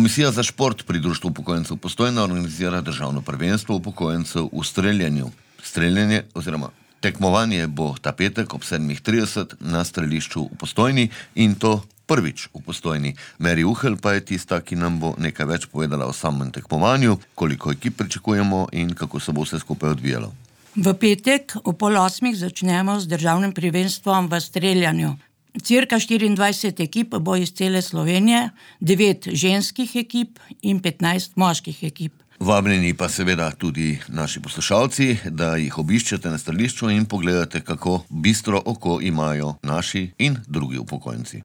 Komisija za šport pri Društvu upokojencev Postojna organizira državno prvenstvo upokojencev v streljanju. Streljanje oziroma tekmovanje bo ta petek ob 7:30 na strelišču v Postojni in to prvič v Postojni. Meri Uhelj pa je tista, ki nam bo nekaj več povedala o samem tekmovanju, koliko ekip pričakujemo in kako se bo vse skupaj odvijalo. V petek ob 7:30 začnemo z državnim prvenstvom v streljanju. Cirka 24 ekip bo iz cele Slovenije, 9 ženskih ekip in 15 moških ekip. Vabljeni pa seveda tudi naši poslušalci, da jih obiščete na strelišču in pogledate, kako bistro oko imajo naši in drugi upokojenci.